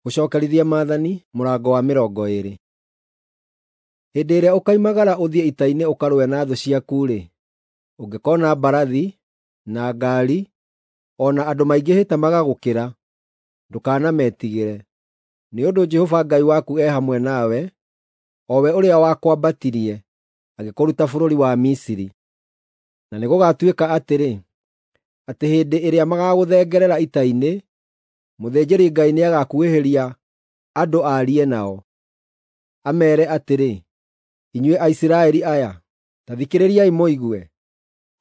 Gũcookerithia maathani mũrango wa 20. Hĩndĩ ĩrĩa ũkoimagara ũthiĩ ita-inĩ ũkarũe na thũ ciaku-rĩ, ũngĩkoona mbarathi, na ngaari, o na andũ maingĩhĩte magagũkĩra, ndũkanametigĩre, nĩ ũndũ Jehova Ngai waku e hamwe nawe, o we ũrĩa wakwambatirie, agĩkũruta bũrũri wa Misiri. Na nĩgũgatuĩka atĩrĩ, atĩ hĩndĩ ĩrĩa magaagũthengerera ita-inĩ, mũthĩnjĩri-Ngai nĩagakuhĩhĩria andũ aarie nao, ameere atĩrĩ, “Inyuĩ Aisiraeli aya, ta thikĩrĩriai mũigue!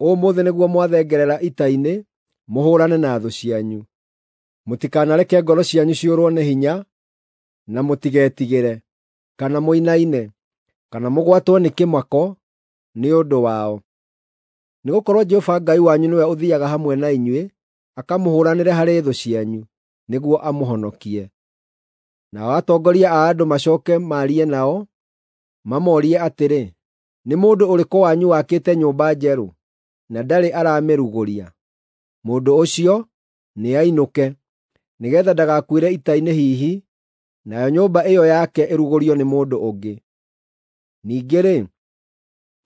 Ũmũthĩ nĩguo mwathengerera ita-inĩ mũhũũrane na thũ cianyu. Mũtikanareke ngoro cianyu ciũrwo nĩ hinya, na mũtigetigĩre, kana mũinaine, kana mũgwatwo nĩ kĩmako nĩ ũndũ wao. Nĩgũkorwo Jehova Ngai wanyu nĩwe ũthiiaga hamwe na inyuĩ akamũhũũranĩre harĩ thũ cianyu, nĩguo amũhonokie.” Nao atongoria a andũ macooke maarie nao, mamoorie atĩrĩ, “Nĩ mũndũ ũrĩkũ wanyu wakĩte nyũmba njerũ, na ndarĩ aramĩrugũria? Mũndũ ũcio nĩainũke, nĩgeetha ndagakuĩre ita-inĩ hihi, nayo nyũmba ĩyo yake ĩrugũrio nĩ mũndũ ũngĩ. Ningĩ-rĩ,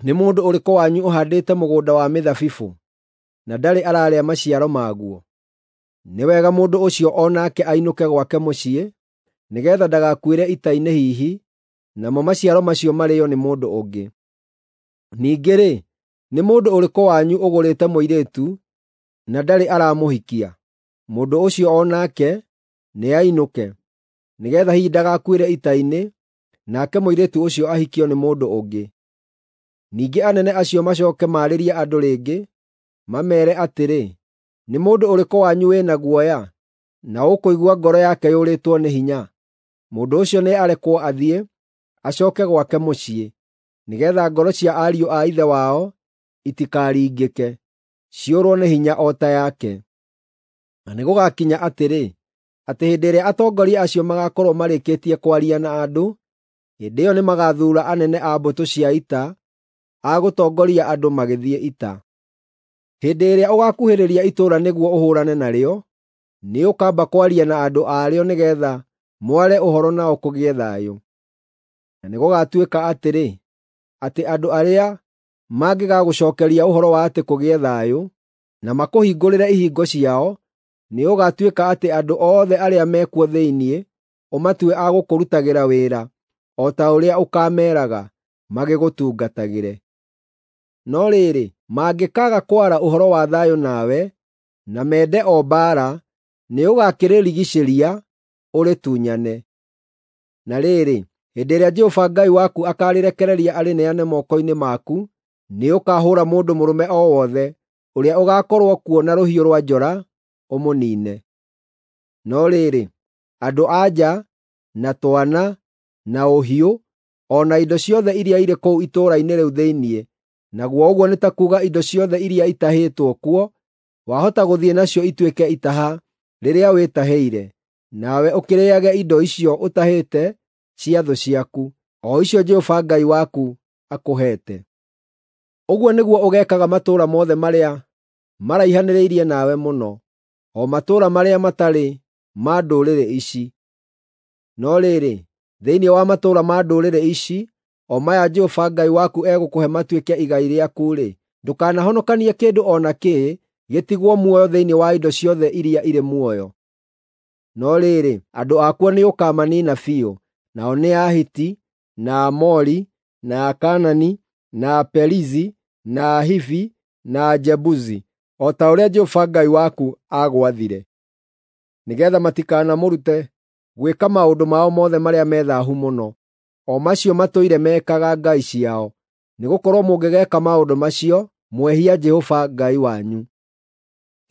nĩ mũndũ ũrĩkũ wanyu ũhaandĩte mũgũnda wa mĩthabibũ, na ndarĩ ararĩa maciaro maguo? Nĩ wega mũndũ ũcio o nake ainũke gwake mũciĩ, nĩgeetha ndagakuĩre ita-inĩ hihi, namo maciaro macio marĩĩo nĩ mũndũ ũngĩ. Ningĩ-rĩ, nĩ mũndũ ũrĩkũ wanyu ũgũrĩte mũirĩtu, na ndarĩ aramũhikia? Mũndũ ũcio o nake nĩainũke, nĩgeetha hihi ndagakuĩre ita-inĩ, nake mũirĩtu ũcio ahikio nĩ mũndũ ũngĩ. Ningĩ anene acio macooke maarĩrie andũ rĩngĩ, mameere atĩrĩ, “Nĩ mũndũ ũrĩkũ wanyu wĩna guoya, na ũkũigua ngoro yake yũrĩtwo nĩ hinya? Mũndũ ũcio nĩarekwo athiĩ, acooke gwake mũciĩ, nĩgeetha ngoro cia ariũ a ithe wao itikaringĩke, ciũrwo nĩ hinya o ta yake.” Na nĩgũgakinya atĩrĩ, atĩ hĩndĩ ĩrĩa atongoria acio magaakorwo marĩkĩtie kwaria na andũ, hĩndĩ ĩyo nĩmagathuura anene a mbũtũ cia ita a gũtongoria andũ magĩthiĩ ita. Hĩndĩ ĩrĩa ũgaakuhĩrĩria itũũra nĩguo ũhũũrane narĩo, nĩũkamba kwaria na andũ a rĩo nĩgeetha mware ũhoro nao kũgĩe thayũ. Na nĩgũgatuĩka atĩrĩ, atĩ andũ arĩa mangĩgagũcookeria ũhoro wa atĩ kũgĩe thayũ, na makũhingũrĩre ihingo ciao, nĩũgatuĩka atĩ andũ othe arĩa mekuo thĩinĩ ũmatue a gũkũrutagĩra wĩra o ta ũrĩa ũkaameeraga, magĩgũtungatagĩre. No rĩrĩ, mangĩkaaga kwara ũhoro wa thayũ nawe, na mende o mbaara, nĩũgakĩrĩrigiicĩria, ũrĩtunyane. Na rĩrĩ, hĩndĩ ĩrĩa Jehova Ngai waku akaarĩrekereria arĩneane moko-inĩ maku, nĩũkahũũra mũndũ mũrũme o wothe ũrĩa ũgaakorwo kuo na rũhiũ rwa njora, ũmũniine. No rĩrĩ, andũ-a-nja, na twana, na ũhiũ, o na indo ciothe iria irĩ kũu itũũra-inĩ rĩu thĩinĩ, naguo ũguo nĩ ta kuuga indo ciothe iria itahĩtwo kuo, wahota gũthiĩ nacio ituĩke itaha rĩrĩa wĩtahĩire, nawe ũkĩrĩĩage indo icio ũtahĩte cia thũ ciaku, o icio Jehova Ngai waku akũheete. Ũguo nĩguo ũgeekaga matũũra mothe marĩa maraihanĩrĩirie nawe mũno, o matũũra marĩa matarĩ ma ndũrĩrĩ ici. No rĩrĩ, thĩinĩ wa matũũra ma ndũrĩrĩ ici, o maya Jehova Ngai waku egũkũhe matuĩke igai rĩaku-rĩ, ndũkanahonokanie kĩndũ o nakĩ gĩtigwo muoyo thĩinĩ wa indo ciothe iria irĩ muoyo. No rĩrĩ, andũ akuo nĩũkamaniina biũ, nao nĩ Ahiti, na Aamori, na Akaanani, na Aperizi, na Ahivi, na Ajebusi, o ta ũrĩa Jehova Ngai waku aagwathire, nĩgeetha matikanamũrute gwĩka maũndũ mao mothe marĩa me thaahu mũno, o macio matũire mekaga ngai ciao, nĩgũkorwo mũngĩgeeka maũndũ macio, mwehia Jehova Ngai wanyu.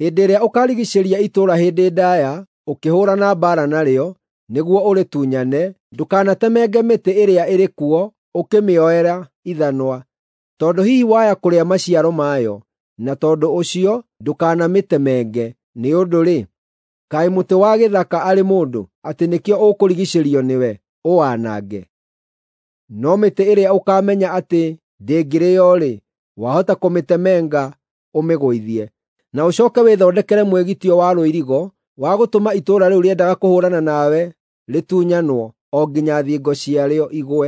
Hĩndĩ ĩrĩa ũkaarigiicĩria itũũra hĩndĩ ndaaya ũkĩhũũrana mbaara narĩo nĩguo ũrĩtunyane, ndũkanatemenge mĩtĩ ĩrĩa ĩrĩ kuo ũkĩmĩoera ithanwa, tondũ hihi waya kũrĩa maciaro mayo, na tondũ ũcio ndũkanamĩtemenge. Nĩ ũndũ-rĩ, kaĩ mũtĩ wa gĩthaka arĩ mũndũ, atĩ nĩkĩo ũkũrigiicĩrio nĩwe, ũwanange? No mĩtĩ ĩrĩa ũkaamenya atĩ ndĩngĩrĩĩo-rĩ, wahota kũmĩtemenga ũmĩgũithie. Na ũcooke wĩthondekere mwĩgitio wa rũirigo wa gũtũma itũũra rĩu rĩendaga kũhũũrana nawe rĩtunyanwo o nginya thingo ciarĩo igwe.